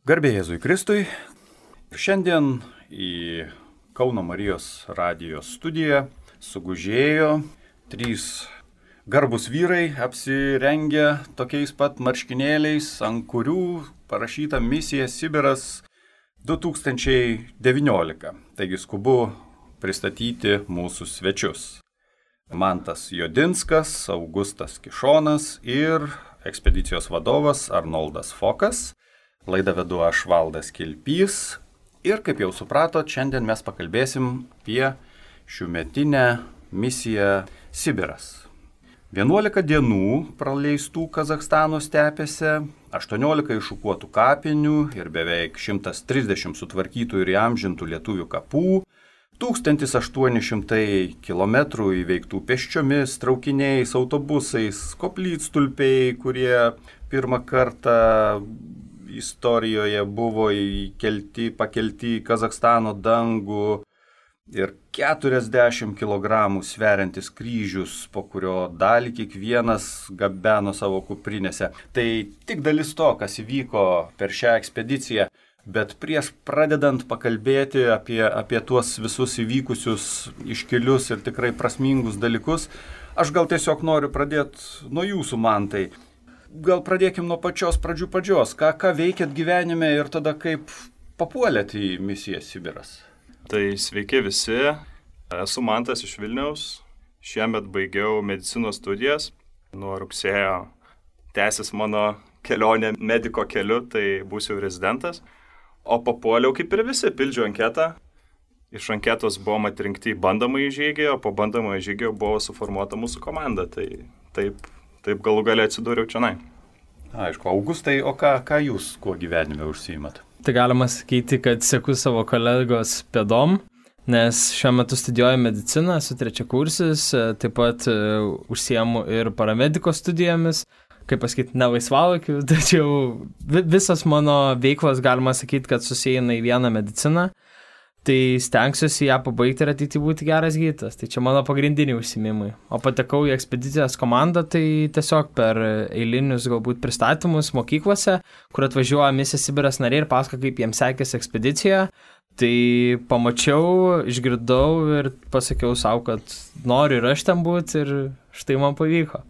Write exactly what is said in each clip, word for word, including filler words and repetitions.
Garbė Jėzui Kristui. Šiandien į Kauno Marijos radijos studiją sugužėjo trys garbūs vyrai apsirengę tokiais pat marškinėliais, ant kurių parašyta misija Sibiras du tūkstančiai devyniolika. Taigi skubu pristatyti mūsų svečius. Mantas Jodinskas, Augustas Kišonas ir ekspedicijos vadovas Arnoldas Fokas. Laidą vedu aš Valdas Kilpys ir, kaip jau supratot, šiandien mes pakalbėsim apie šiųmetinę misiją Sibiras. vienuolika dienų praleistų Kazachstano stepėse, aštuoniolika iššukuotų kapinių ir beveik šimtas trisdešimt sutvarkytų ir įamžintų lietuvių kapų, tūkstantis aštuoni šimtai kilometrų įveiktų pėsčiomis, traukiniais, autobusais, koplytstulpiai, kurie pirmą kartą istorijoje buvo įkelti, pakelti į Kazachstano dangų ir keturiasdešimt kilogramų sveriantis kryžius, po kurio dalį kiekvienas gabeno savo kuprinėse. Tai tik dalis to, kas įvyko per šią ekspediciją, bet prieš pradedant pakalbėti apie, apie tuos visus įvykusius iškilius ir tikrai prasmingus dalykus, aš gal tiesiog noriu pradėti nuo jūsų, Mantai. Gal pradėkim nuo pačios pradžių pradžios. Ką, ką veikėt gyvenime ir tada kaip papuolėt į misiją Sibiras? Tai sveiki visi. Esu Mantas iš Vilniaus. Šiemet baigiau medicinos studijas. Nuo rugsėjo tęsis mano kelionė mediko keliu, tai būsiu rezidentas. O papuoliau kaip ir visi, pildžiau anketą. Iš anketos buvom atrinkti į bandomąjį žygį, o po bandomąjį žygį buvo suformuota mūsų komanda. Tai taip Taip galų galę atsidūriau čionai. Aišku, Augustai, o ką, ką jūs kuo gyvenime užsiimat? Tai galima sakyti, kad seku savo kolegos pėdom, nes šiuo metu studijuoju mediciną, esu trečiakursis, taip pat uh, užsiimu ir paramediko studijomis, kaip pasakyti, ne laisvalaikiu, tačiau visas mano veiklos galima sakyti, kad susieina į vieną mediciną. Tai stengsiuosi ją pabaigti ir ateityje būti geras gydytojas. Tai čia mano pagrindiniai užsiėmimai. O patekau į ekspedicijos komandą, tai tiesiog per eilinius galbūt pristatymus mokyklose, kur atvažiuoja misija Sibiras nariai ir pasako, kaip jiems sekėsi ekspedicija. Tai pamačiau, išgirdau ir pasakiau savo, kad noriu ir aš ten būti ir štai man pavyko.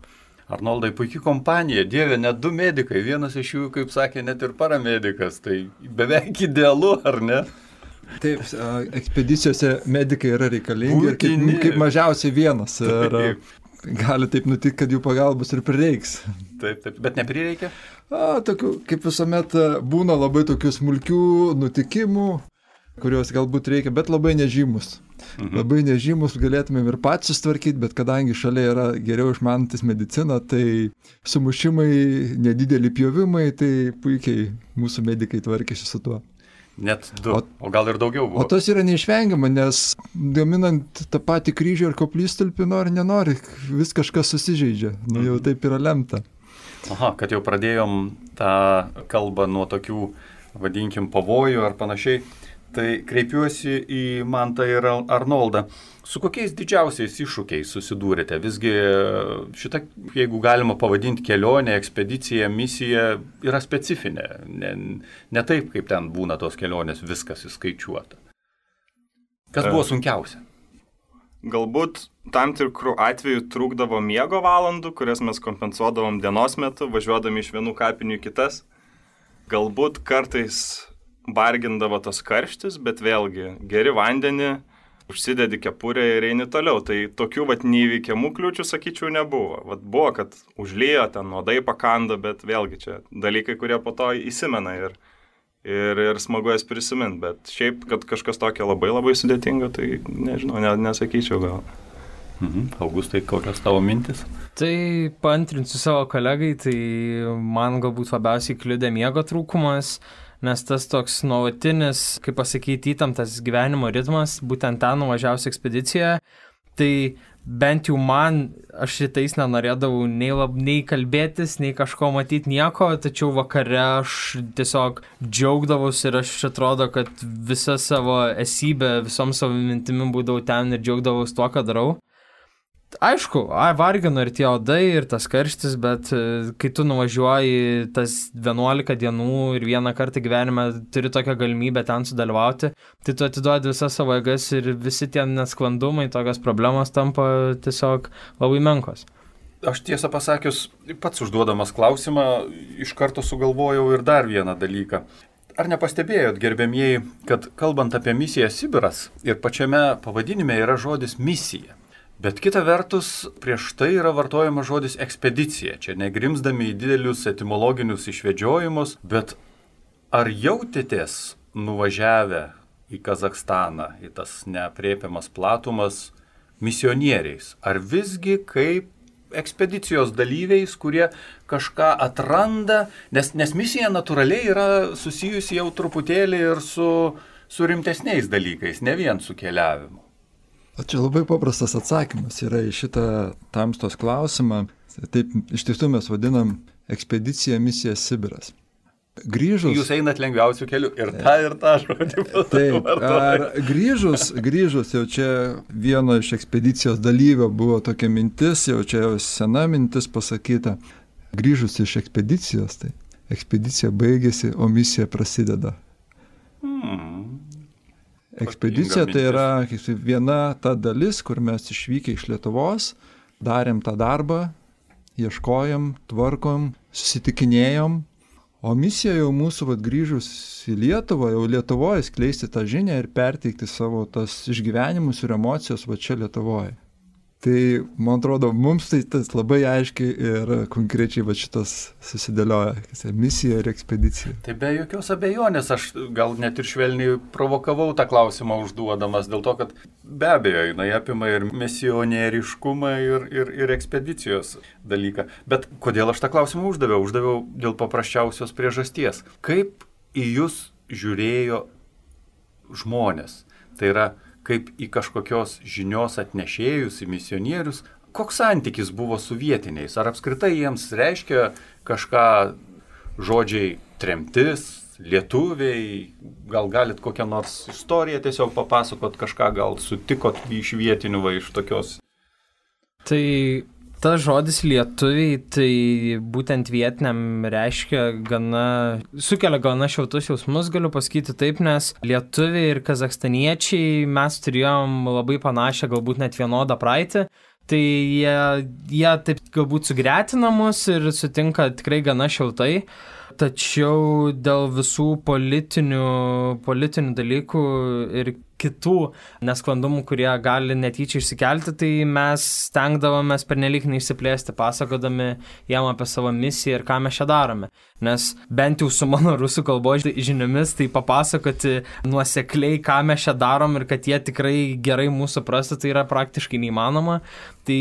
Arnoldai, puikiai kompanija, dieve, net du medikai, vienas iš jų, kaip sakė, net ir paramedikas. Tai beveik idealu, ar ne? Taip, ekspedicijose medikai yra reikalingi ir kaip, kaip mažiausiai vienas. Ir gali taip nutikti, kad jų pagalbos ir prireiks. Taip, taip, bet neprireikia? A, tokių, kaip visuomet būna labai tokių smulkių nutikimų, kuriuos galbūt reikia, bet labai nežymus. Mhm. Labai nežymus galėtumėm ir patys sustvarkyti, bet kadangi šalia yra geriau išmanantis mediciną, tai sumušimai, nedideli pjovimai, tai puikiai mūsų medikai tvarkėsi su tuo. Net du, o, o gal ir daugiau buvo. O tas yra neišvengiama, nes gaminant tą patį kryžių ir koplytstulpį nori, nenori, vis kažkas susižeidžia. Nu jau taip yra lemta. Aha, kad jau pradėjom tą kalbą nuo tokių, vadinkim, pavojų ar panašiai, tai kreipiuosi į Mantą ir Arnoldą. Su kokiais didžiausiais iššūkiais susidūrėte? Visgi šitą, jeigu galima pavadinti kelionę, ekspediciją, misiją, yra specifinė. Ne, ne taip, kaip ten būna tos kelionės, viskas įskaičiuota. Kas buvo sunkiausia? Galbūt tam tikrų atvejų trūkdavo miego valandų, kurias mes kompensuodavom dienos metu, važiuodami iš vienų kapinių į kitas. Galbūt kartais bargindavo tas karštis, bet vėlgi geri vandenį, užsidedi kepurę ir eini toliau. Tai tokių vat neįveikiamų kliūčių, sakyčiau, nebuvo. Vat buvo, kad užlijo, ten nuodai pakando, bet vėlgi čia dalykai, kurie po to įsimena ir, ir, ir smagu jas prisiminti. Bet šiaip, kad kažkas tokio labai labai sudėtingo, tai nežinau, ne, nesakyčiau gal. Mhm. Augustai, kokios tavo mintis? Tai paantrinsiu savo kolegai, tai man galbūt labiausiai kliudė miego trūkumas, nes tas toks nuolatinis, kaip pasakyti, įtemptas gyvenimo ritmas, būtent ten nuvažiausiu ekspediciją, tai bent jau man, aš šitais nenorėdavau nei, lab, nei kalbėtis, nei kažko matyti nieko, tačiau vakare aš tiesiog džiaugdavausi ir aš atrodo, kad visą savo esybę, visom savo mintimim būdavau ten ir džiaugdavausi tuo, ką darau. Aišku, ai, vargino ir tie odai, ir tas karštis, bet kai tu nuvažiuoji tas vienuolika dienų ir vieną kartą gyvenime turi tokią galimybę ten sudalyvauti, tai tu atiduodi visas savo jėgas ir visi tie nesklandumai, tokios problemos tampa tiesiog labai menkos. Aš tiesą pasakius, pats užduodamas klausimą, iš karto sugalvojau ir dar vieną dalyką. Ar nepastebėjot, gerbėmieji, kad kalbant apie misiją Sibiras ir pačiame pavadinime yra žodis misija? Bet kita vertus, prieš tai yra vartojamas žodis ekspedicija. Čia negrimzdami į didelius etimologinius išvedžiojimus, bet ar jautėtės nuvažiavę į Kazachstaną, į tas neaprėpiamas platumas, misionieriais? Ar visgi kaip ekspedicijos dalyviais, kurie kažką atranda, nes, nes misija natūraliai yra susijusi jau truputėlį ir su, su rimtesniais dalykais, ne vien su keliavimu? O čia labai paprastas atsakymas yra į šitą tamstos klausimą. Taip iš tiesų mes vadinam ekspedicija misija Sibiras. Grįžus... Jūs einat lengviausių kelių ir tą ir tą žodį. Taip, ar grįžus, grįžus jau čia vieno iš ekspedicijos dalyvio buvo tokia mintis, jau čia jau sena mintis pasakyta. Grįžus iš ekspedicijos, tai ekspedicija baigėsi, o misija prasideda. Hmm. Ekspedicija tai yra viena ta dalis, kur mes išvykę iš Lietuvos, darėm tą darbą, ieškojom, tvarkom, susitikinėjom, o misija jau mūsų vat, grįžus į Lietuvą, jau Lietuvoje skleisti tą žinią ir perteikti savo tas išgyvenimus ir emocijos va čia Lietuvoje. Tai, man atrodo, mums tai tas labai aiškiai ir konkrečiai va šitas susidėlioja, misija ir ekspedicija. Tai be jokios abejonės, aš gal net ir švelniai provokavau tą klausimą užduodamas, dėl to, kad be abejo, jinai apima ir misionieriškumą ir, ir, ir ekspedicijos dalyką. Bet kodėl aš tą klausimą uždaviau? Uždaviau dėl paprasčiausios priežasties. Kaip į jūs žiūrėjo žmonės? Tai yra, kaip į kažkokios žinios atnešėjus, į misionierius, koks santykis buvo su vietiniais? Ar apskritai jiems reiškia kažką žodžiai tremtis, lietuviai, gal galit kokią nors istoriją tiesiog papasakot, kažką gal sutikot iš vietinių va iš tokios? Tai tas žodis lietuviai, tai būtent vietiniam reiškia gana, sukelia gana šiltus jausmus, galiu pasakyti taip, nes lietuviai ir kazachstaniečiai mes turėjom labai panašią, galbūt net vienodą praeitį, tai jie, jie taip galbūt sugretina mus ir sutinka tikrai gana šiltai, tačiau dėl visų politinių, politinių dalykų ir kitų nesklandumų, kurie gali netyčia išsikelti, tai mes stengdavomės pernelyg neišsiplėsti, pasakodami jam apie savo misiją ir ką mes čia darome. Nes bent jau su mano rusų kalbos žiniomis, tai papasakoti nuosekliai, ką mes čia darom ir kad jie tikrai gerai mūsų suprastų, tai yra praktiškai neįmanoma. Tai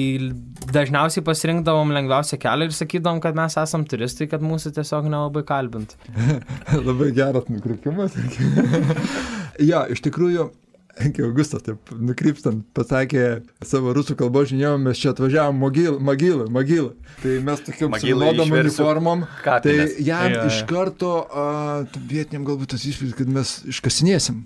dažniausiai pasirinkdavom lengviausią kelią ir sakydavom, kad mes esam turistai, kad mūsų tiesiog nelabai kalbint. Labai geras nukrypimas. Ja, iš tikrųjų, kai Augustas taip nukrypstant pasakė savo rusų kalbos žiniom, mes čia atvažiavom Mogilą, Mogilą, Mogilą. Tai mes tokiam suvilodom uniformom, tai jam ja, iš karto uh, vietiniam galbūt tas įspūdis, kad mes iškasinėsim.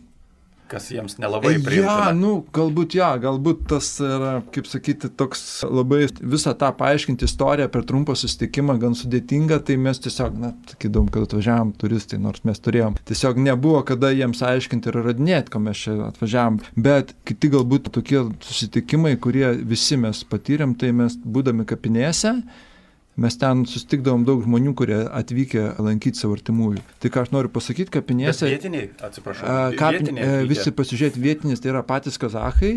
Kas jiems nelabai priimtina. Ja, nu, galbūt, ja, galbūt tas yra, kaip sakyti, toks labai visą tą paaiškinti istoriją per trumpą susitikimą gan sudėtinga, tai mes tiesiog, na, sakydom, kad atvažiavom turistai, nors mes turėjom. Tiesiog nebuvo kada jiems aiškinti ir radinėti, ko mes čia atvažiavom. Bet kiti galbūt tokie susitikimai, kurie visi mes patyrėm, tai mes būdami kapinėse, mes ten susitikdavom daug žmonių, kurie atvykę lankyti savo artimųjų. Tai ką aš noriu pasakyti, kapinėse... Bet vietiniai, atsiprašau, kapin, vietiniai atvykę. Visi pasižiūrėti vietinis, tai yra patys kazachai,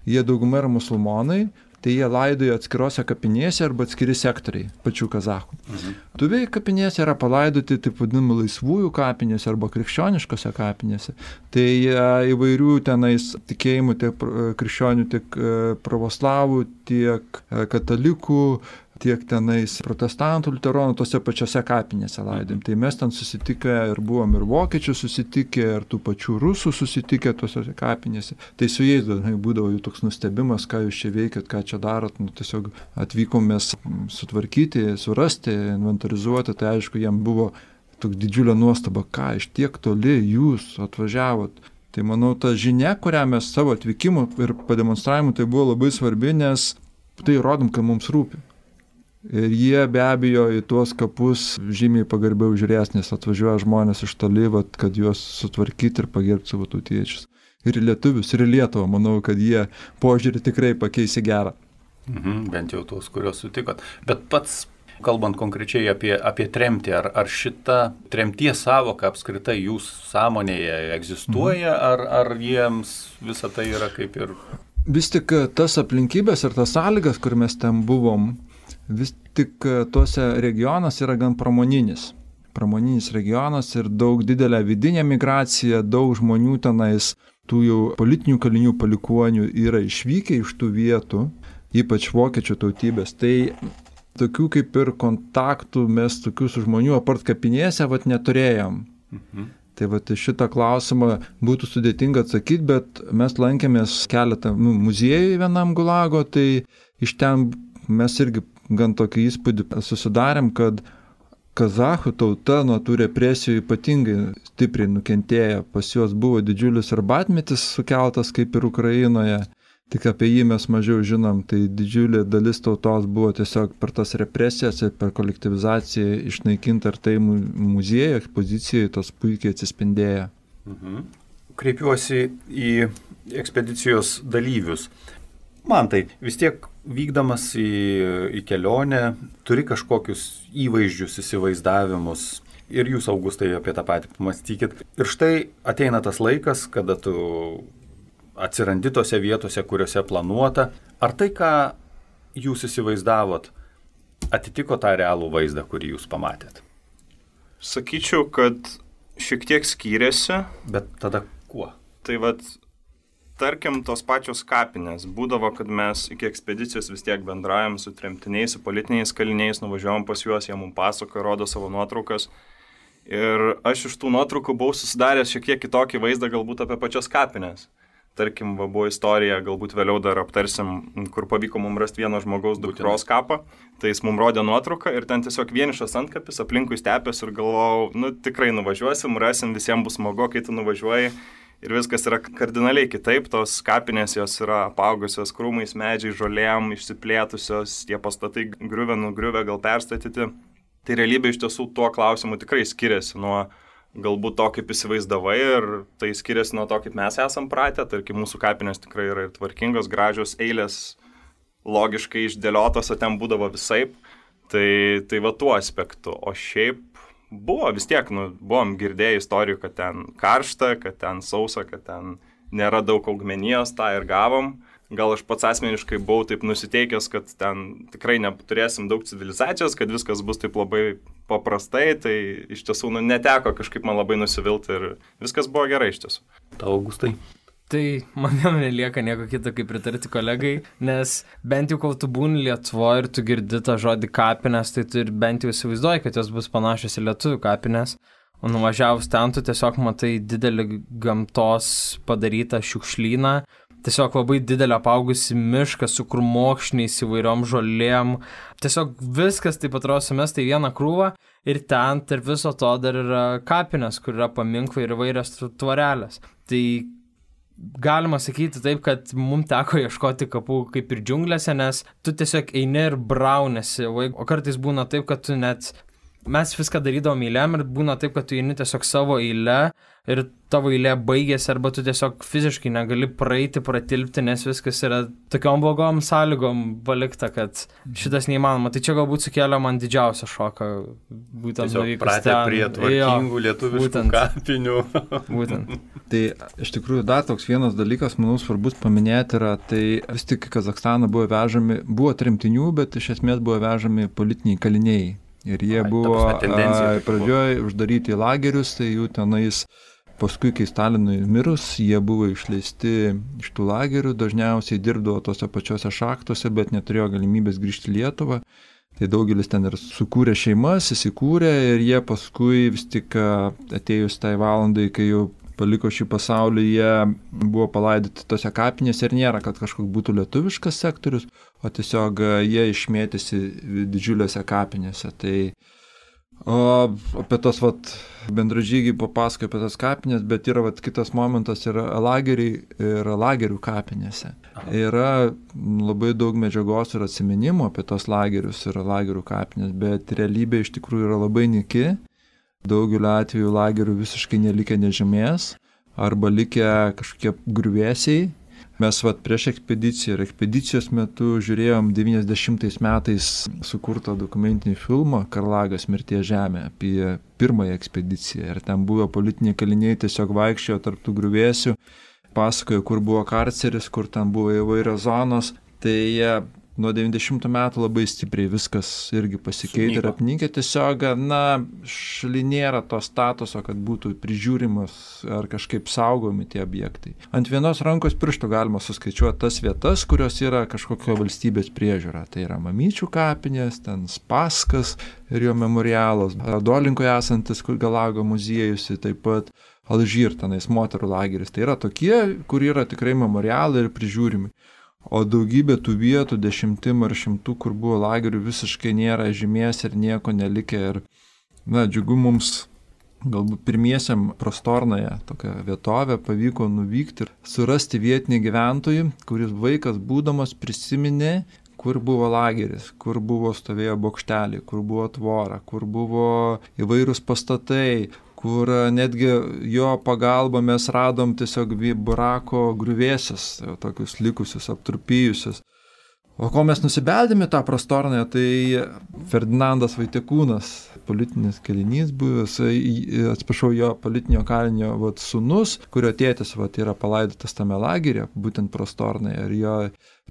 jie dauguma yra musulmonai, tai jie laidoja atskirose kapinėse arba atskiri sektoriai pačių kazachų. Mhm. Tuviai kapinėse yra palaidoti taip vadinamų laisvųjų kapinėse arba krikščioniškose kapinėse. Tai įvairių tenais tikėjimų tiek krikščionių, tiek pravoslavų, tiek katalikų, tiek tenais protestantų, liuteronų, tose pačiose kapinėse laidėm. Tai mes ten susitikę ir buvom ir vokiečių susitikę, ir tų pačių rusų susitikę tose kapinėse. Tai su jais dažnai būdavo jų toks nustebimas, ką jūs čia veikėt, ką čia darot. Nu, tiesiog atvykom mes sutvarkyti, surasti, inventorizuoti. Tai aišku, jiem buvo toks didžiulė nuostaba, ką iš tiek toli jūs atvažiavot. Tai manau, ta žinia, kurią mes savo atvykimu ir pademonstravimu, tai buvo labai svarbi, nes tai rodom, kad mums rūpi. Ir jie be abejo į tuos kapus žymiai pagarbiau žiūrės, nes atvažiuoja žmonės iš toli, vat, kad juos sutvarkyti ir pagerbti savo tautiečius. Ir į lietuvius, ir į Lietuvą, manau, kad jie požiūrį tikrai pakeis į gerą. Mhm, bent jau tuos, kuriuos sutikot. Bet pats, kalbant konkrečiai apie, apie tremtį, ar, ar šita tremties savoka apskritai jūsų sąmonėje egzistuoja, mhm. ar, ar jiems visa tai yra kaip ir... Vis tik tas aplinkybės ir tas sąlygas, kur mes ten buvom, vis tik tuose regionas yra gan pramoninis. Pramoninis regionas ir daug didelė vidinė migracija, daug žmonių tenais, tų jau politinių kalinių palikuonių yra išvykę iš tų vietų, ypač vokiečių tautybės. Tai tokių kaip ir kontaktų mes tokių su žmonių apart kapinėse vat neturėjom. Mhm. Tai vat šitą klausimą būtų sudėtinga atsakyti, bet mes lankėmės keletą nu, muziejų vienam Gulago, tai iš ten mes irgi gan tokį įspūdį susidarėm, kad kazachų tauta nuo tų represijų ypatingai stipriai nukentėjo. Pas juos buvo didžiulis arbatmetis sukeltas kaip ir Ukrainoje, tik apie jį mes mažiau žinom, tai didžiulė dalis tautos buvo tiesiog per tas represijas ir per kolektyvizaciją išnaikinta ir tai muziejų ekspozicijoje tas puikiai atsispindėjo. Mhm. Kreipiuosi į ekspedicijos dalyvius. Man tai vis tiek vykdamas į, į kelionę turi kažkokius įvaizdžius, įsivaizdavimus ir jūs, Augustai, apie tą patį pamastykit. Ir štai ateina tas laikas, kada tu atsirandi tose vietose, kuriuose planuota. Ar tai, ką jūs įsivaizdavot, atitiko tą realų vaizdą, kurį jūs pamatėt? Sakyčiau, kad šiek tiek skyrėsi. Bet tada kuo? Tai vat, tarkim, tos pačios kapinės. Būdavo, kad mes iki ekspedicijos vis tiek bendraujam su tremtiniais, su politiniais kaliniais, nuvažiuojam pas juos, jie mums pasakoja, rodo savo nuotraukas. Ir aš iš tų nuotraukų buvau susidaręs šiek tiek kitokį vaizdą galbūt apie pačias kapinės. Tarkim, va, buvo istorija, galbūt vėliau dar aptarsim, kur pavyko mums rasti vieno žmogaus dukros kapą. Tai jis mums rodė nuotrauką ir ten tiesiog vienišas antkapis, aplinkui stepės ir galvojau, nu tikrai nuvažiuosim, rasim, visiems bus smagu, kai tu nuvažiuoji. Ir viskas yra kardinaliai kitaip, tos kapinės jos yra apaugusios krūmais, medžiai, žolėm, išsiplėtusios, tie pastatai griuvę, nugriuvę, gal perstatyti. Tai realybė iš tiesų tuo klausimu tikrai skiriasi nuo galbūt to, kaip įsivaizdavai, ir tai skiriasi nuo to, kaip mes esam pratę. Tarkim, mūsų kapinės tikrai yra ir tvarkingos, gražios, eilės logiškai išdėliotos, o ten būdavo visaip. Tai, tai va tuo aspektu. O šiaip buvo vis tiek, nu, buvom girdėję istorijų, kad ten karšta, kad ten sausa, kad ten nėra daug augmenijos, tą ir gavom. Gal aš pats asmeniškai buvau taip nusiteikęs, kad ten tikrai neturėsim daug civilizacijos, kad viskas bus taip labai paprastai, tai iš tiesų nu, neteko kažkaip man labai nusivilti ir viskas buvo gerai iš tiesų. Tau, Augustai? Tai man jau nelieka nieko kito, kaip pritarti kolegai, nes bent jau kol tu būni Lietuvoje ir tu girdi tą žodį kapinės, tai tu ir bent jau įsivaizduoji, kad jos bus panašios į lietuvių kapinės. O nuvažiavus ten, tu tiesiog matai didelį gamtos padarytą šiukšlyną, tiesiog labai didelį apaugusi mišką su krūmokšniais įvairiom žolėm. Tiesiog viskas taip atrodo sumesta į vieną krūvą ir ten tarp viso to dar yra kapinės, kur yra paminklai ir įvairios tvorelės. Tai galima sakyti taip, kad mums teko ieškoti kapų kaip ir džiunglėse, nes tu tiesiog eini ir braunėsi, o kartais būna taip, kad tu net... Mes viską darydavom eilėm ir būna taip, kad tu eini tiesiog savo eilę ir tavo eilė baigėsi arba tu tiesiog fiziškai negali praeiti, pratilpti, nes viskas yra tokiom blogom sąlygom palikta, kad šitas neįmanoma. Tai čia galbūt sukėlė man didžiausią šoką. Būtent tiesiog pratę prie tvarkingų lietuviškų būtent, kapinių. Būtent. Tai iš tikrųjų dar toks vienas dalykas, manau, svarbus paminėti yra, tai vis tik į Kazachstaną buvo vežami, buvo tremtinių, bet iš esmės buvo vežami politiniai kaliniai. Ir jie Ai, buvo pradžioje uždaryti į lagerius, tai jų tenais paskui, kai Stalinui mirus, jie buvo išleisti iš tų lagerių, dažniausiai dirbdavo tose pačiose šachtose, bet neturėjo galimybės grįžti į Lietuvą. Tai daugelis ten ir sukūrė šeimas, įsikūrė ir jie paskui vis tik atėjus tai valandai, kai jau paliko šį pasaulį, jie buvo palaidoti tose kapinėse ir nėra, kad kažkoks būtų lietuviškas sektorius, o tiesiog jie išmėtėsi didžiulėse kapinėse. Tai o apie tos vat, bendražygiai papasakoja apie tas kapinės, bet yra vat, kitas momentas yra lageriai ir lagerių kapinėse. Yra labai daug medžiagos ir atsiminimų apie tos lagerius ir lagerių kapinės, bet realybė iš tikrųjų yra labai nyki. Daugeliu atveju lagerių visiškai nelikė nežymės arba likę kažkokie griuvėsiai. Mes vat prieš ekspediciją ir ekspedicijos metu žiūrėjom devyniasdešimtais metais sukurtą dokumentinį filmą Karlagas mirties žemė apie pirmąją ekspediciją. Ir ten buvo politiniai kaliniai tiesiog vaikščiojo tarp tų griuvėsių, pasakojo, kur buvo karceris, kur ten buvo įvairios zonos. Tai nuo devyniasdešimtų metų labai stipriai viskas irgi pasikeitė ir apninkė. Tiesiog, na, šalia nėra to statuso, kad būtų prižiūrimas ar kažkaip saugomi tie objektai. Ant vienos rankos pirštų galima suskaičiuoti tas vietas, kurios yra kažkokio valstybės priežiūra. Tai yra Mamyčių kapinės, ten Spaskas ir jo memorialas, Dolinkoje esantis Galago muziejus, taip pat Alžyr, tenais moterų lageris. Tai yra tokie, kur yra tikrai memorialai ir prižiūrimi. O daugybė tų vietų, dešimtim ar šimtų, kur buvo lagerių, visiškai nėra žymės ir nieko nelikė. Ir, na, džiugu mums galbūt pirmiesiam Prostornoje tokią vietovę pavyko nuvykti ir surasti vietinį gyventojų, kuris vaikas būdamas prisiminė, kur buvo lageris, kur buvo stovėjo bokšteliai, kur buvo tvora, kur buvo įvairūs pastatai, kur netgi jo pagalba mes radom tiesiog barako griuvėsius, tokius likusius, aptrupėjusius. O ko mes nusibeldėme tą Prostornoje, tai Ferdinandas Vaitekūnas, politinis kalinys buvęs, atsiprašau, jo politinio kalinio vat, sūnus, kurio tėtis vat, yra palaidotas tame lageryje, būtent Prostornoje. Ir jo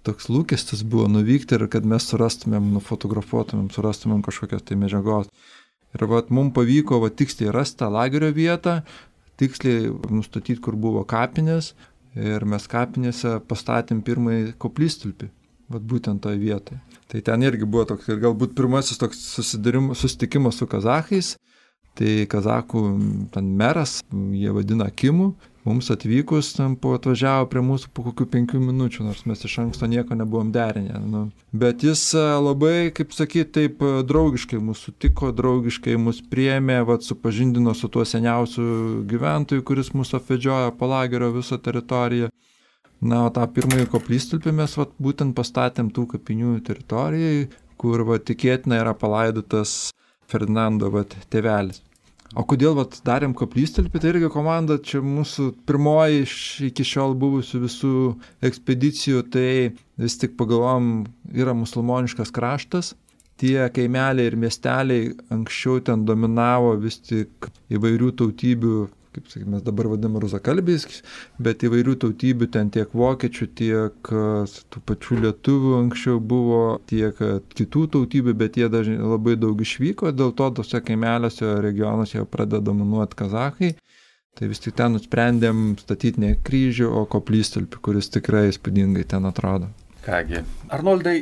toks lūkestis buvo nuvykti ir kad mes surastumėm, nufotografuotumėm, surastumėm kažkokios tai medžiagos. Ir vat, mums pavyko vat, tiksliai rasti tą lagerio vietą, tiksliai nustatyti, kur buvo kapinės ir mes kapinėse pastatėm pirmąjį koplytstulpį, vat būtent toje vietoje. Tai ten irgi buvo toks ir galbūt pirmasis toks susitikimas su kazachais, tai kazakų ten meras, jie vadina Akimu, mums atvykus, ten po atvažiavo prie mūsų po kokių penkių minučių, nors mes iš anksto nieko nebuvom derinę. Nu. Bet jis labai, kaip sakyti, taip draugiškai mūsų sutiko, draugiškai mus priėmė, vat, supažindino su tuo seniausiu gyventoju, kuris mūsų apvedžiojo po lagerio visą teritoriją. Na, o tą pirmąjį koplytstulpį mes vat, būtent pastatėm tų kapinių teritorijai, kur vat, tikėtina yra palaidotas Ferdinando vat, tėvelis. O kodėl vat, darėm koplytstulpį, tai irgi komanda, čia mūsų pirmoji iš iki šiol buvusių visų ekspedicijų, tai vis tik pagalvom, yra musulmoniškas kraštas, tie kaimeliai ir miesteliai anksčiau ten dominavo vis tik įvairių tautybių, kaip sakyti, mes dabar vadiname rusakalbiais, bet įvairių tautybių ten tiek vokiečių, tiek tų pačių lietuvių anksčiau buvo, tiek kitų tautybių, bet jie dažnai labai daug išvyko, dėl to tose kaimeliuose regionuose jau pradeda dominuoti kazachai. Tai vis tik ten nusprendėm statyti ne kryžių, o koplytstulpį, kuris tikrai įspūdingai ten atrodo. Kągi, Arnoldai,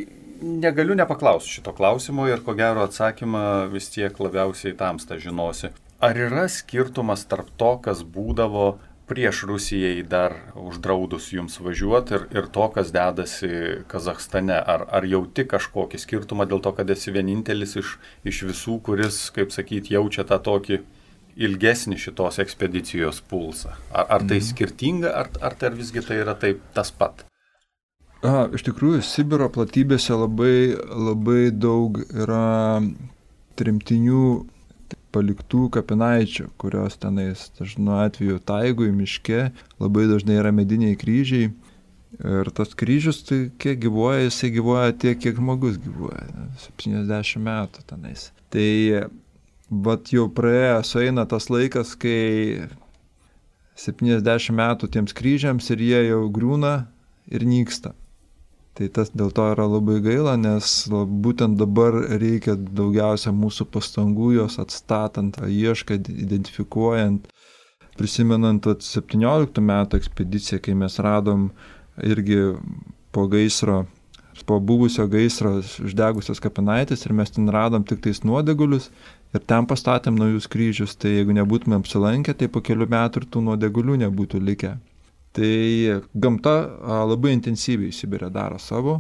negaliu nepaklausti šito klausimo ir ko gero atsakymą vis tiek labiausiai tamsta žinosi. Ar yra skirtumas tarp to, kas būdavo prieš Rusijai dar uždraudus jums važiuoti ir, ir to, kas dedasi Kazachstane? Ar, ar jauti kažkokį skirtumą dėl to, kad esi vienintelis iš, iš visų, kuris, kaip sakyti, jaučia tą tokį ilgesnį šitos ekspedicijos pulsą? Ar, ar tai skirtinga, ar, ar tai visgi tai yra taip tas pat? A, iš tikrųjų, Sibiro platybėse labai, labai daug yra tremtinių paliktų kapinaičių, kurios tenais dažnu atveju taigui, miške, labai dažnai yra mediniai kryžiai. Ir tas kryžius, tai kiek gyvuoja, jisai gyvuoja tiek, kiek žmogus gyvuoja, septyniasdešimt metų tenais. Tai vat jau praėjo, sueina tas laikas, kai septyniasdešimt metų tiems kryžiams ir jie jau griūna ir nyksta. Tai tas dėl to yra labai gaila, nes būtent dabar reikia daugiausia mūsų pastangų jos atstatant, ieškant, identifikuojant, prisimenant septynioliktų metų ekspediciją, kai mes radom irgi po gaisro, po buvusio gaisro uždegusios kapinaitės ir mes ten radom tik tais nuodegulius ir ten pastatėm naujus kryžius, tai jeigu nebūtume apsilankę, tai po kelių metų ir tų nuodegulių nebūtų likę. Tai gamta labai intensyviai Sibire daro savo,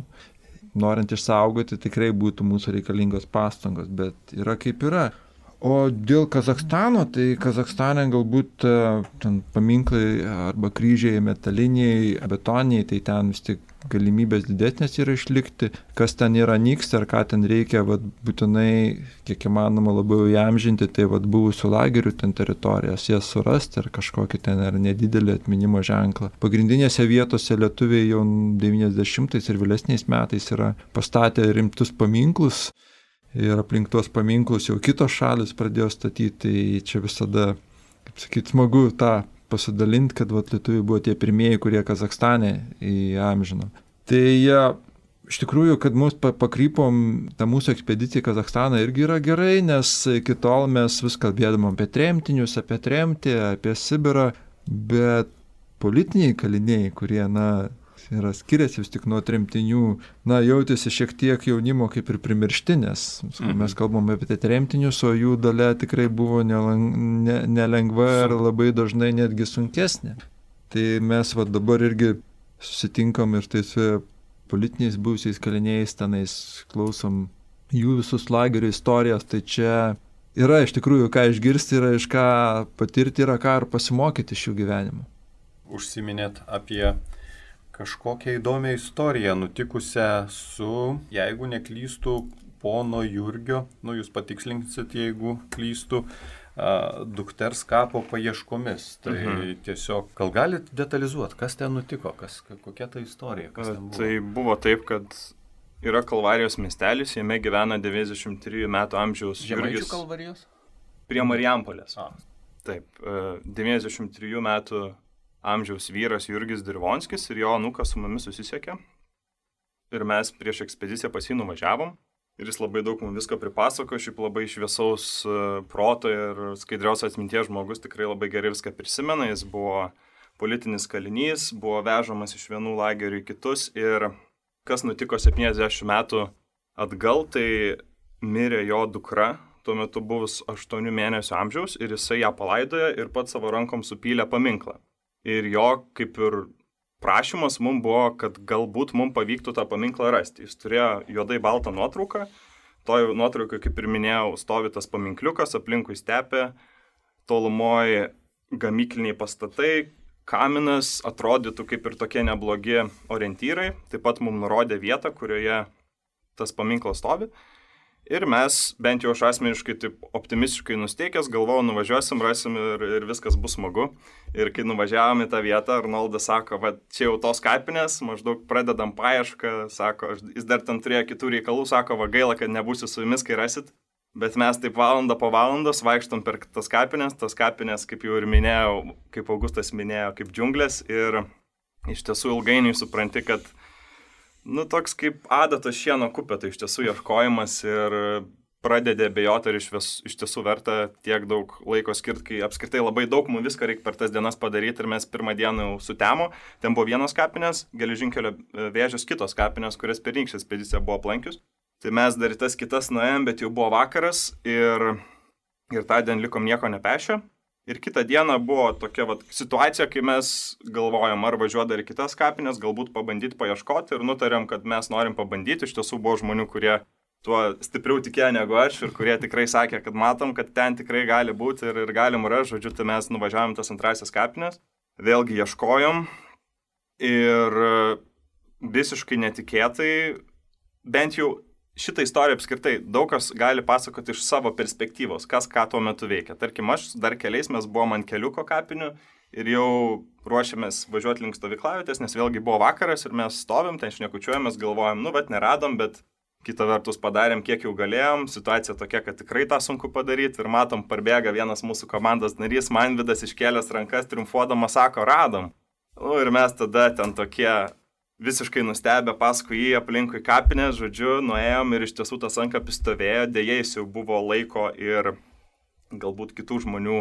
norint išsaugoti tikrai būtų mūsų reikalingos pastangos, bet yra kaip yra. O dėl Kazachstano, tai Kazachstane galbūt ten paminklai arba kryžiai metaliniai, betoniniai, tai ten vis tik galimybės didesnės yra išlikti. Kas ten yra nyksta ar ką ten reikia, vat, būtinai, kiek įmanoma labiau įamžinti, tai vat, buvusių lagerių ten teritorijas, jas surasti ar kažkokį ten ar nedidelį atminimo ženklą. Pagrindinėse vietose lietuviai jau devyniasdešimtais ir vėlesniais metais yra pastatę rimtus paminklus. Ir aplink tuos paminklus jau kitos šalis pradėjo statyti, tai čia visada, kaip sakyti, smagu tą pasidalinti, kad vat, lietuviai buvo tie pirmieji, kurie Kazachstane įamžino. Tai ja, iš tikrųjų, kad mus pakrypom, ta mūsų ekspedicija į Kazachstaną irgi yra gerai, nes iki tol mes vis kalbėdavom apie tremtinius, apie tremtį, apie Sibirą, bet politiniai kaliniai, kurie, na, yra skiriasi vis tik nuo tremtinių, na, jautėsi šiek tiek jaunimo kaip ir primiršti, nes mhm. mes kalbame apie tremtinius, o jų dalia tikrai buvo nelengva ir labai dažnai netgi sunkesnė. Tai mes va dabar irgi susitinkam ir tai su politiniais buvusiais kaliniais tenais klausom jų visus lagerių istorijas, tai čia yra iš tikrųjų ką išgirsti, yra iš ką patirti, yra ką ir pasimokyti iš jų gyvenimo. Užsiminėt apie kažkokią įdomią istoriją nutikusią su, jeigu neklystų, pono Jurgio, nu jūs patikslinsit, jeigu klystų, uh, dukters kapo paieškomis. Tai mhm. tiesiog, gal galit detalizuoti, kas ten nutiko, kas, kokia ta istorija, kas ten buvo? Tai buvo taip, kad yra Kalvarijos miestelis, jame gyvena devyniasdešimt trijų metų amžiaus Jurgis. Žemaičių Kalvarijos? Prie Marijampolės. A. Taip, uh, devyniasdešimt trijų metų amžiaus vyras Jurgis Dirvonskis ir jo anūkas su mumis susisiekė. Ir mes prieš ekspediciją pas jį nuvažiavom. Ir jis labai daug mums visko pripasako, šiaip labai šviesaus proto ir skaidrios atminties žmogus, tikrai labai gerai viską prisimena. Jis buvo politinis kalinys, buvo vežamas iš vienų lagerių į kitus. Ir kas nutiko septyniasdešimt metų atgal, tai mirė jo dukra, tuo metu buvus aštuonių mėnesių amžiaus, ir jisai ją palaidojo ir pats savo rankom supylė paminklą. Ir jo kaip ir prašymas mums buvo, kad galbūt mums pavyktų tą paminklą rasti. Jis turėjo juodai baltą nuotrauką, toj nuotraukai, kaip ir minėjau, stovi tas paminkliukas, aplinkui stepė, tolumoje gamykliniai pastatai, kaminas, atrodytų kaip ir tokie neblogi orientyrai, taip pat mums nurodė vietą, kurioje tas paminklas stovi. Ir mes, bent jau aš asmeniškai taip optimistiškai nusteikęs, galvojau, nuvažiuosim, rasim ir, ir viskas bus smagu. Ir kai nuvažiavome į tą vietą, Arnoldas sako, va, čia jau tos kapinės, maždaug pradedam paiešką, sako, jis dar ten turėjo kitų reikalų, sako, va, gaila, kad nebūsiu su jumis, kai rasit. Bet mes taip valandą po valandos vaikštom per tas kapinės, tas kapinės, kaip jau ir minėjau, kaip Augustas minėjo, kaip džiunglės. Ir iš tiesų ilgainiui supranti, kad nu, toks kaip adatos šieno kupė, tai iš tiesų ieškojimas ir pradedė abejoti, ar iš, vis, iš tiesų verta tiek daug laiko skirti, kai apskritai labai daug mums viską reikia per tas dienas padaryti ir mes pirmą dieną jau sutemo. Ten buvo vienos kapinės, Geležinkelio Vėžės kitos kapinės, kurias pernykštė ekspedicija buvo aplankius. Tai mes dar tas kitas nuėjom, bet jau buvo vakaras ir, ir tą dieną likom nieko nepešę. Ir kitą dieną buvo tokia vat, situacija, kai mes galvojom, ar važiuoti dar į kitas kapinės, galbūt pabandyti paieškoti ir nutarėm, kad mes norim pabandyti. Iš tiesų buvo žmonių, kurie tuo stipriau tikėjo negu aš ir kurie tikrai sakė, kad matom, kad ten tikrai gali būti ir, ir galim rasti. Žodžiu, tai mes nuvažiavom tas antrasis kapinės, vėlgi ieškojom ir visiškai netikėtai, bent jau šitą istoriją apskritai daug kas gali pasakoti iš savo perspektyvos, kas ką tuo metu veikia. Tarkim, aš dar keliais mes buvom ant keliuko kapinių ir jau ruošiamės važiuoti link stovyklavietės, nes vėlgi buvo vakaras ir mes stovim, ten šnekučiuojamės, galvojam, nu, bet neradom, bet kita vertus padarėm, kiek jau galėjom. Situacija tokia, kad tikrai tą sunku padaryti ir matom, parbėga vienas mūsų komandos narys, Manvydas iškėlęs rankas, triumfuodamas, sako, radom. Nu, ir mes tada ten tokie visiškai nustebę paskui jį aplinkui kapinės, žodžiu, nuėjom ir iš tiesų tas ankapis stovėjo, dėja jis jau buvo laiko ir galbūt kitų žmonių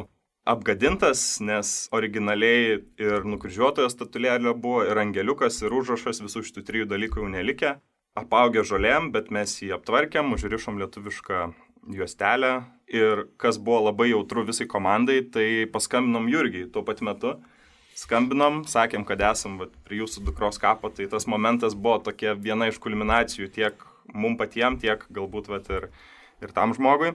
apgadintas, nes originaliai ir nukryžiuotojo statulėlė buvo, ir angeliukas, ir užrašas, visų šitų trijų dalykų jau nelikę, apaugę žolėm, bet mes jį aptvarkėm, užrišom lietuvišką juostelę ir kas buvo labai jautru visai komandai, tai paskambinom Jurgiai tuo pat metu. Skambinom, sakėm, kad esam vat, prie jūsų dukros kapo, tai tas momentas buvo tokia viena iš kulminacijų tiek mum patiem, tiek galbūt vat, ir, ir tam žmogui.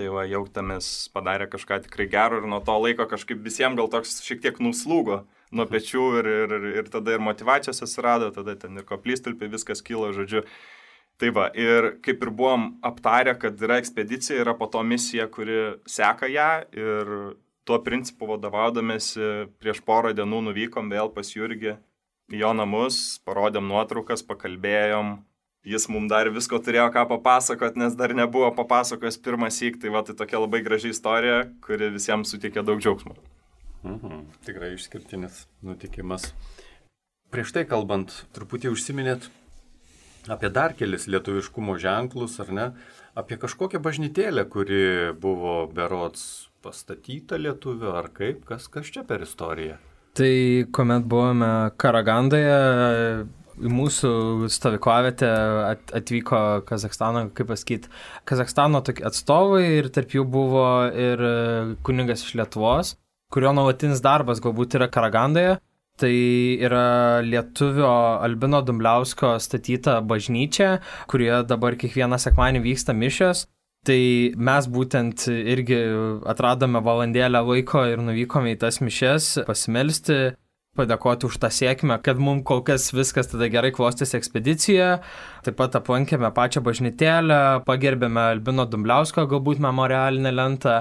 Tai va, jautėmės padarė kažką tikrai gero ir nuo to laiko kažkaip visiems gal toks šiek tiek nuslūgo nuo pečių ir, ir, ir, ir tada ir motyvacijos atsirado, tada ten ir koplytstulpiai, viskas kilo, žodžiu. Tai va, ir kaip ir buvom aptarę, kad yra ekspedicija, yra po to misija, kuri seka ją ir tuo principu vadovaudamėsi prieš porą dienų nuvykom vėl pas Jurgį į jo namus, parodėm nuotraukas, pakalbėjom. Jis mums dar visko turėjo ką papasakot, nes dar nebuvo papasakojęs pirmą syk, tai va, tai tokia labai graži istorija, kuri visiems suteikė daug džiaugsmo. Mhm, tikrai išskirtinis nutikimas. Prieš tai kalbant, truputį užsiminėt apie dar kelis lietuviškumo ženklus, ar ne? Apie kažkokią bažnytėlę, kuri buvo berods pastatyta lietuvių, ar kaip? Kas, kas čia per istoriją? Tai kuomet buvome Karagandoje, į mūsų stovyklavietę atvyko Kazakstano, kaip pasakyti, Kazakstano atstovai ir tarp jų buvo ir kunigas iš Lietuvos, kurio nuolatinis darbas galbūt yra Karagandoje. Tai yra lietuvio Albino Dumbliausko statyta bažnyčia, kurioje dabar kiekvieną sekmadienį vyksta mišios. Tai mes būtent irgi atradome valandėlę laiko ir nuvykome į tas mišias pasimelsti, padėkoti už tą sėkmę, kad mums kol kas viskas tada gerai klostėsi ekspedicija. Taip pat aplankėme pačią bažnytėlę, pagerbėme Albino Dumbliausko galbūt memorialinę lentą.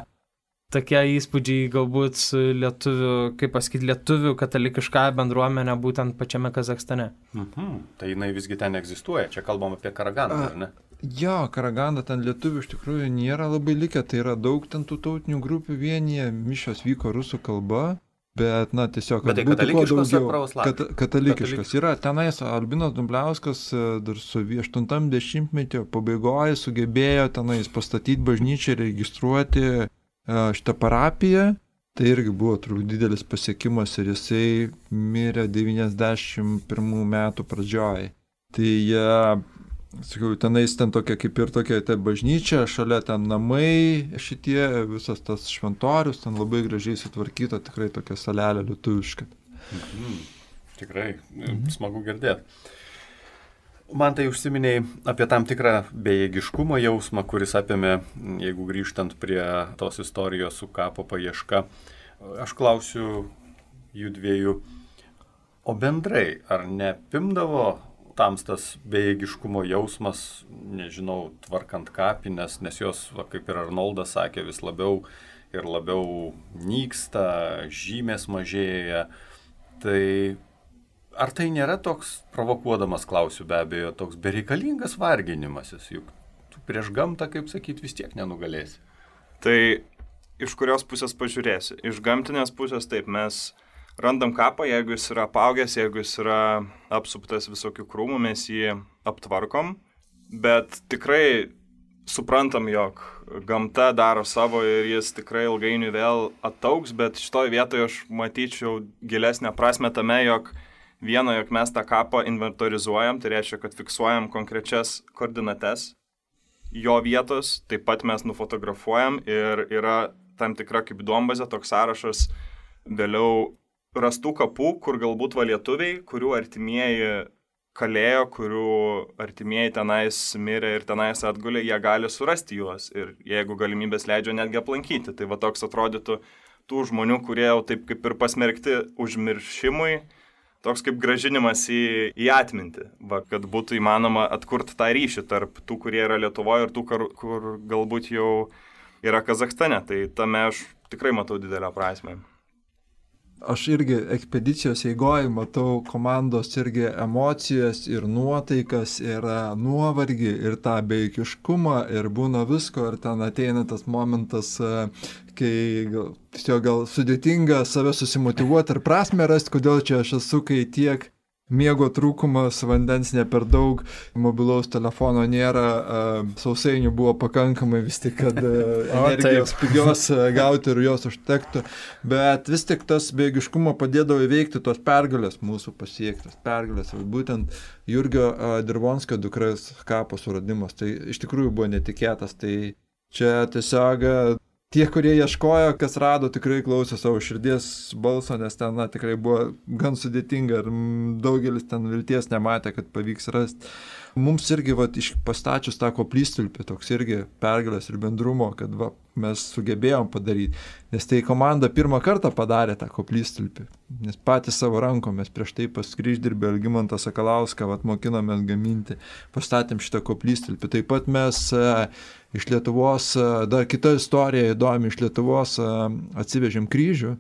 Tokie įspūdžiai galbūt su lietuvių, kaip pasakyti, lietuvių katalikišką bendruomenę būtent pačiame Kazakstane. Mhm. Tai jinai visgi ten egzistuoja, čia kalbam apie Karagandą, ar ne? Jo, Karaganda ten lietuvių iš tikrųjų nėra labai likę, tai yra daug ten tų tautinių grupių vienyje, mišios vyko rusų kalba. Bet, na, tiesiog, bet tai katalikiškas ar pravoslavas? Kat, katalikiškas. Yra tenais Albinas Dumbliauskas dar su aštuntam dešimtmetį pabaigoje sugebėjo tenais pastatyti bažnyčią, registruoti šitą parapiją. Tai irgi buvo turbūt didelis pasiekimas ir jisai mirė devyniasdešimt pirmų metų pradžioje. Tai sakiau, tenais ten tokia kaip ir tokia ta bažnyčia, šalia ten namai šitie, visas tas šventorius, ten labai gražiai sutvarkyta, tikrai tokia salelė lietuviška. Mhm. Tikrai, mhm. Smagu girdėti. Man tai užsiminiai apie tam tikrą bejėgiškumo jausmą, kuris apėmė, jeigu grįžtant prie tos istorijos su kapo paieška. Aš klausiu jų dviejų, o bendrai, ar nepimdavo tamstas bejėgiškumo jausmas, nežinau, tvarkant kapines, nes jos, va, kaip ir Arnoldas sakė, vis labiau ir labiau nyksta, žymės mažėja. Tai ar tai nėra toks, provokuodamas klausiu be abejo, toks bereikalingas varginimasis, juk tu prieš gamtą, kaip sakyti, vis tiek nenugalėsi? Tai iš kurios pusės pažiūrėsi? Iš gamtinės pusės taip, mes randam kapą, jeigu jis yra apaugęs, jeigu jis yra apsuptas visokių krūmų, mes jį aptvarkom, bet tikrai suprantam, jog gamta daro savo ir jis tikrai ilgainiui vėl ataugs, bet šitoj vietoje aš matyčiau gilesnę prasmę tame, jog viena, jog mes tą kapą inventorizuojam, tai reiškia, kad fiksuojam konkrečias koordinates jo vietos, taip pat mes nufotografuojam ir yra tam tikra kaip duombazė, toks sąrašas vėliau rastų kapų, kur galbūt va lietuviai, kurių artimieji kalėjo, kurių artimieji tenais mirė ir tenais atgulė, jie gali surasti juos ir jeigu galimybės leidžia netgi aplankyti. Tai va toks atrodytų tų žmonių, kurie jau taip kaip ir pasmerkti užmiršimui, toks kaip gražinimas į, į atmintį, va, kad būtų įmanoma atkurti tą ryšį tarp tų, kurie yra Lietuvoje ir tų, kur, kur galbūt jau yra Kazakstane. Tai tame aš tikrai matau didelę prasmę. Aš irgi ekspedicijos eigoje matau komandos irgi emocijas ir nuotaikas, ir nuovargį, ir tą bejėgiškumą, ir būna visko, ir ten ateina tas momentas, kai gal, tiesiog gal sudėtinga save susimotyvuoti ir prasmę rasti, kodėl čia aš esu, kai tiek miego trūkumas, vandens ne per daug, mobilaus telefono nėra, sausainių buvo pakankamai vis tik, kad energijos pigios gauti ir jos užtektų, bet vis tik tas bejėgiškumo padėdavo įveikti tos pergalės mūsų pasiektas, pergalės, būtent Jurgio Dirvonskio dukras kapo suradimas, tai iš tikrųjų buvo netikėtas, tai čia tiesiog tie, kurie ieškojo, kas rado, tikrai klausė savo širdies balso, nes ten na, tikrai buvo gan sudėtinga ir daugelis ten vilties nematė, kad pavyks rasti. mums irgi va, iš pastačius tą koplytstulpį toks irgi pergalės ir bendrumo, kad va, mes sugebėjom padaryti, nes tai komanda pirmą kartą padarė tą koplytstulpį, nes patys savo rankomis prieš tai pas kryždirbį Algimantą Sakalauską vat, mokinomės gaminti, pastatėm šitą koplytstulpį. Taip pat mes e, iš Lietuvos, e, dar kita istorija įdomi, iš Lietuvos e, atsivežėm kryžių,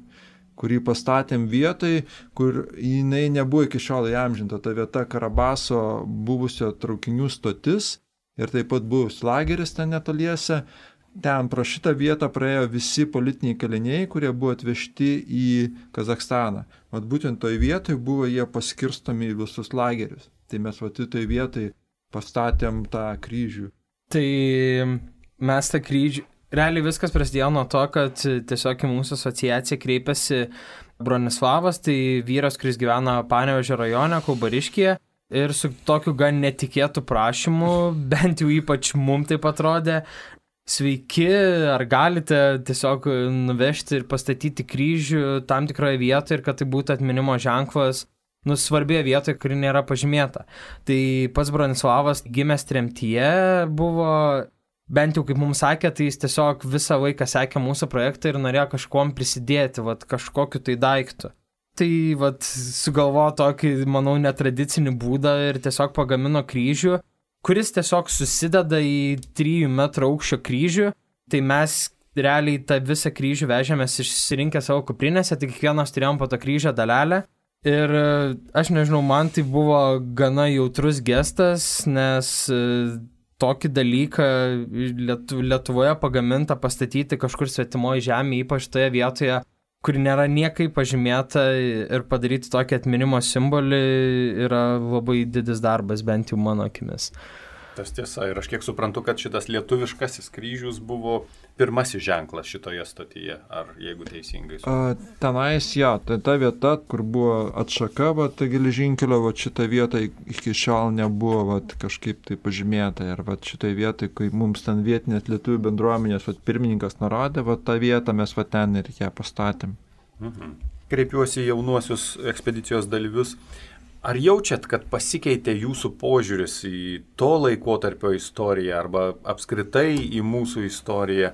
kurį pastatėm vietai, kur jinai nebuvo iki šiol įamžinta. Ta vieta Karabaso buvusio traukinių stotis ir taip pat buvus lageris ten netoliese. Ten pro šitą vietą praėjo visi politiniai kaliniai, kurie buvo atvežti į Kazachstaną. Vat būtent toj vietoj buvo jie paskirstomi į visus lagerius. Tai mes vat toj vietoj pastatėm tą kryžių. Tai mes tą kryžių... Realiai viskas prasidėjo nuo to, kad tiesiog į mūsų asociaciją kreipėsi Bronislavas, tai vyras, kuris gyvena Panevėžio rajone, Kaubariškyje, ir su tokiu gan netikėtu prašymu, bent jau ypač mum taip atrodė, sveiki, ar galite tiesiog nuvežti ir pastatyti kryžių tam tikroje vietoje ir kad tai būtų atminimo ženklas, nu, svarbioje vietoje, kuri nėra pažymėta. Tai pats Bronislavas gimęs tremtyje buvo... Bent jau kaip mums sakė, tai jis tiesiog visą laiką sekė mūsų projektą ir norėjo kažkuom prisidėti, vat, kažkokiu tai daiktu. Tai vat, sugalvojo tokį, manau, netradicinį būdą ir tiesiog pagamino kryžių, kuris tiesiog susideda į trijų metrų aukščio kryžių. Tai mes realiai tą visą kryžių vežėmės išsirinkę savo kuprinėse, tai kiekvienas turėjom po tą kryžio dalelę. Ir aš nežinau, man tai buvo gana jautrus gestas, nes... tokį dalyką Lietuvoje pagamintą pastatyti kažkur svetimoje žemėje, ypač toje vietoje, kuri nėra niekaip pažymėta ir padaryti tokį atminimo simbolį yra labai didis darbas, bent jau mano akimis. Tas tiesa, ir aš kiek suprantu, kad šitas lietuviškasis kryžius buvo pirmasis ženklas šitoje stotyje, ar jeigu teisingai suprantu. Tenais, ja, tai ta vieta, kur buvo atšaka, va, ta geležinkelio, va, šita vieta iki šiol nebuvo va, kažkaip tai pažymėta. Ir va, šitai vietai, kai mums ten vietinės lietuvių bendruomenės va, pirmininkas nurodė, va, tą vietą mes va, ten ir ją pastatėm. Mhm. Kreipiuosi jaunuosius ekspedicijos dalyvius. Ar jaučiat, kad pasikeitė jūsų požiūris į to laikotarpio istoriją arba apskritai į mūsų istoriją?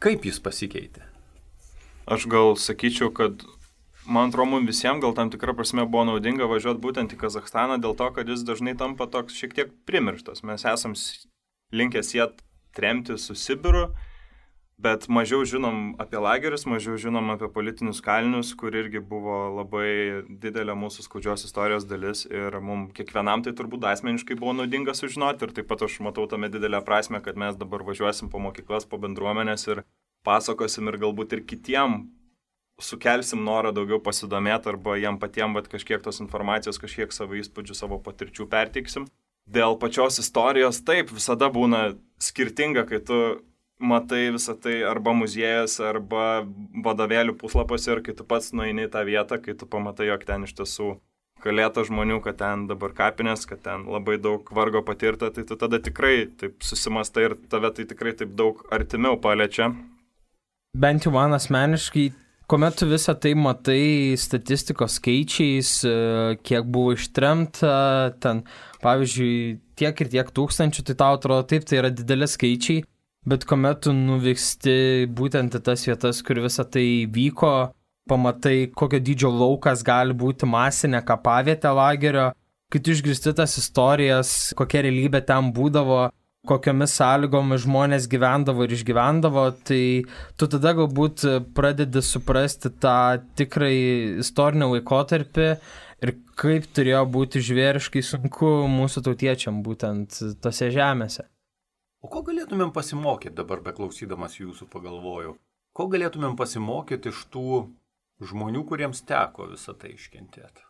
Kaip jis pasikeitė? Aš gal sakyčiau, kad man atrodo, mums visiems gal tam tikrą prasme buvo naudinga važiuoti būtent į Kazachstaną dėl to, kad jis dažnai tampa toks šiek tiek primirštas. Mes esam linkę siet tremti su Sibiru, bet mažiau žinom apie lagerius, mažiau žinom apie politinius kalinius, kur irgi buvo labai didelė mūsų skaudžios istorijos dalis ir mums kiekvienam tai turbūt asmeniškai buvo naudinga sužinoti ir taip pat aš matau tame didelę prasmę, kad mes dabar važiuosim po mokyklas, po bendruomenės ir pasakosim ir galbūt ir kitiem sukelsim norą daugiau pasidomėti arba jiem patiem vat, kažkiek tos informacijos, kažkiek savo įspūdžių, savo patirčių perteiksim. Dėl pačios istorijos taip visada būna skirtinga, kai tu matai visą tai arba muziejus, arba vadovėlių puslapiuose ir kai tu pats nueini į tą vietą, kai tu pamatai, jog ten iš tiesų kalėta žmonių, kad ten dabar kapinės, kad ten labai daug vargo patirta, tai tu tada tikrai taip susimastai ir tave tai tikrai taip daug artimiau paliečia. Bent jau man asmeniškai, kuomet tu visą tai matai statistikos skaičiais, kiek buvo ištremta, ten pavyzdžiui tiek ir tiek tūkstančių, tai tau atrodo taip, tai yra dideli skaičiai. Bet kuomet tu nuvyksti būtent į tas vietas, kur visą tai vyko, pamatai, kokio dydžio laukas gali būti masinė kapavietė lagerio, kai tu išgirsti tas istorijas, kokia realybė ten būdavo, kokiomis sąlygomis žmonės gyvendavo ir išgyvendavo, tai tu tada galbūt pradedi suprasti tą tikrai istorinį laikotarpį ir kaip turėjo būti žvėriškai sunku mūsų tautiečiam būtent tose žemėse. O ko galėtumėm pasimokyti dabar, beklausydamas jūsų pagalvojau? Ko galėtumėm pasimokyti iš tų žmonių, kuriems teko visą tai iškentėti?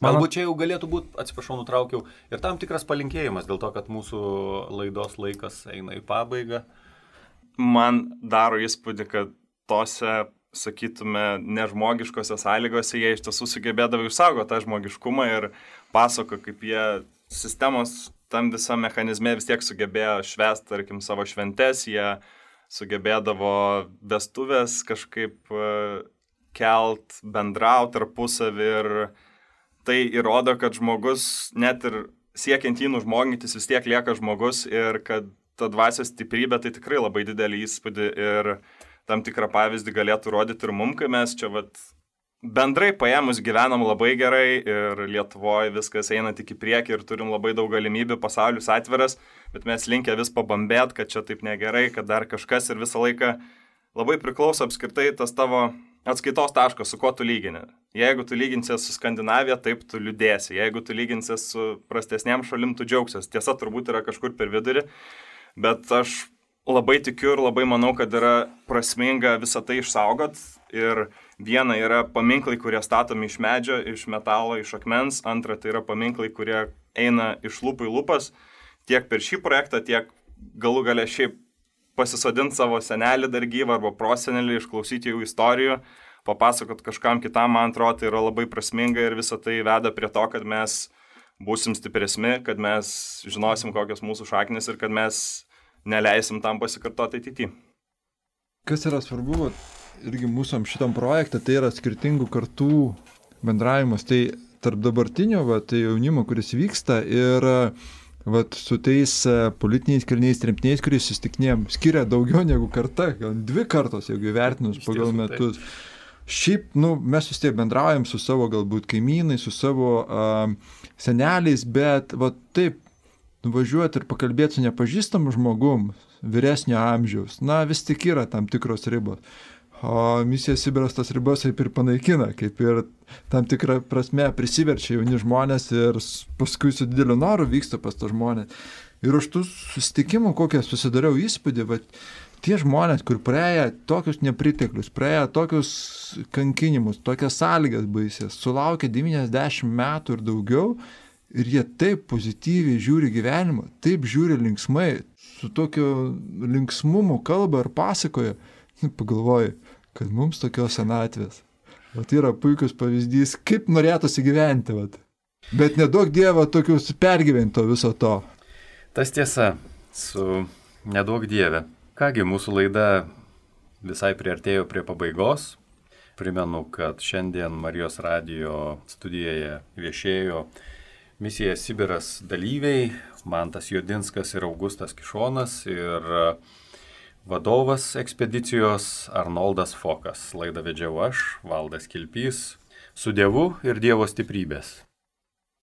Galbūt čia jau galėtų būti, atsiprašau, nutraukiau, ir tam tikras palinkėjimas dėl to, kad mūsų laidos laikas eina į pabaigą. Man daro įspūdį, kad tose, sakytume, nežmogiškose sąlygose jie iš tiesų sugebėdavo išsaugoti tą žmogiškumą ir pasako, kaip jie sistemos tam visam mechanizme vis tiek sugebėjo švęsti, tarkim, savo šventes, jie sugebėdavo vestuvės kažkaip kelt, bendrauti tarpusavį ir tai įrodo, kad žmogus net ir siekiant jį nužmogintis vis tiek lieka žmogus ir kad ta dvasios stiprybė tai tikrai labai didelį įspūdį ir tam tikrą pavyzdį galėtų rodyti ir mum, kai mes čia vat, bendrai paėmus gyvenam labai gerai ir Lietuvoje viskas eina tik į priekį ir turim labai daug galimybių, pasaulis atviras, bet mes linkę vis pabambėt, kad čia taip negerai, kad dar kažkas ir visą laiką labai priklauso apskritai tas tavo atskaitos taškas, su kuo tu lygini. Jeigu tu lyginsies su Skandinavija, taip tu liūdėsi. Jeigu tu lyginsies su prastesniam šalim, tu džiaugsies. Tiesa, turbūt yra kažkur per vidurį, bet aš labai tikiu ir labai manau, kad yra prasminga visą tai išsaugot. Ir viena yra paminklai, kurie statomi iš medžio, iš metalo, iš akmens. Antra, tai yra paminklai, kurie eina iš lūpų į lūpas. Tiek per šį projektą, tiek galų gale šiaip pasisodinti savo senelį dar gyvą arba prosenelį, išklausyti jų istorijų, papasakot kažkam kitam, man atrodo, tai yra labai prasminga ir visą tai veda prie to, kad mes būsim stipresni, kad mes žinosim, kokios mūsų šaknis ir kad mes neleisim tam pasikartoti ateityje. Kas yra svarbu, irgi mūsų šitam projekte, tai yra skirtingų kartų bendravimas, tai tarp dabartinio, va, tai jaunimo, kuris vyksta ir vat, su tais politiniais kariniais tremtiniais, kuriais susitikinėjom, skiria daugiau negu karta, gal dvi kartos, jeigu įvertinus pagal metus. Šiaip, nu, mes vis tiek bendraujam su savo galbūt kaimynai, su savo uh, seneliais, bet vat, taip, nuvažiuoti ir pakalbėti su nepažįstamu žmogum, vyresnio amžiaus, na, vis tik yra tam tikros ribos. O misija Sibiras tas ribas kaip ir panaikina, kaip ir tam tikrą prasme prisiverčia jauni žmonės ir paskui su dideliu noru vyksta pas tą žmonės. Ir už tų susitikimų, kokią susidariau įspūdį, va, tie žmonės, kur praėję tokius nepriteklius, praėję tokius kankinimus, tokias sąlygas baisės, sulaukia devyniasdešimt metų ir daugiau, ir jie taip pozityviai žiūri gyvenimą, taip žiūri linksmai, su tokiu linksmumu kalba ir pasakoja, pagalvoju, kad mums tokios senatvės. Vat yra puikus pavyzdys, kaip norėtųsi gyventi. Vat. Bet nedaug Dievo tokius pergyvento viso to. Tas tiesa, su nedaug Dieve. Kągi, mūsų laida visai priartėjo prie pabaigos. Primenu, kad šiandien Marijos radijo studijoje viešėjo misija Sibiras dalyviai, Mantas Jodinskas ir Augustas Kišonas ir vadovas ekspedicijos Arnoldas Fokas. Laidą vedžiau aš, Valdas Kilpys. Su Dievu ir Dievo stiprybės.